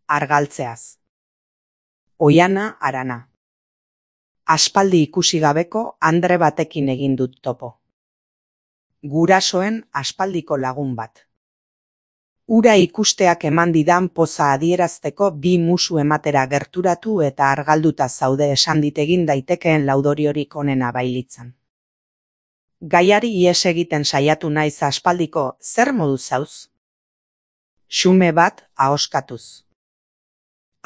argaltzeaz. Oiana Arana. Aspaldi ikusi gabeko andre batekin egin dut topo. Gurasoen aspaldiko lagun bat. Ura ikusteak eman didan poza adierazteko bi musu ematera gerturatu eta argalduta zaude esan dit egin daitekeen laudoriorik onena bailitzan. Gaiari ihes egiten saiatu naiz aspaldiko zer modu zauz? Xume bat ahoskatuz.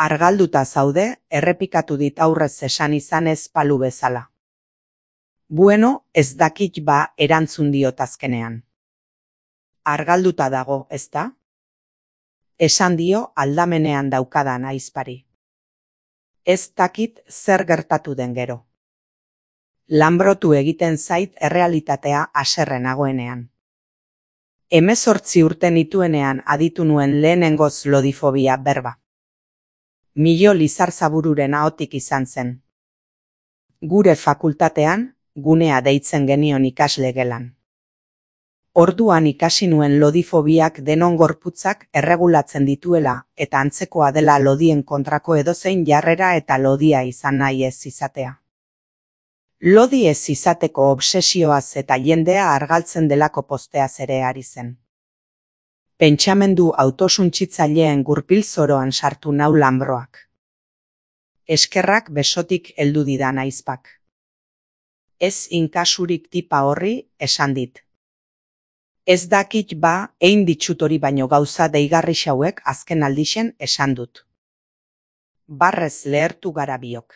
Argalduta zaude, errepikatu dit aurrez esan izan ez palu bezala. Bueno, ez dakit ba erantzun diot azkenean. Argalduta dago, ezta? Esan dio aldamenean daukadan aizpari. Ez dakit zer gertatu den gero. Lanbrotu egiten zait errealitatea haserre nagoenean. 18 urte nituenean aditu nuen lehenengoz lodifobia berba. Milo Lizarzabururen ahotik izan zen. Gure fakultatean, gunea deitzen genion ikasle gelan. Orduan ikasi nuen lodifobiak denon gorputzak erregulatzen dituela eta antzekoa dela lodien kontrako edozein jarrera eta lodia izan nahi ez izatea. Lodi ez izateko obsesioaz eta jendea argaltzen delako posteaz ere ari zen. Pentsamendu autosuntsitzaileen gurpil zoroan sartu nau lanbroak. Eskerrak besotik heldu didan aizpak. Ez inkasurik tipa horri esan dit. Ez dakit ba, ein ditxut hori baino gauza deigarri xauek azken aldixen esan dut. Barrez lehertu gara biok.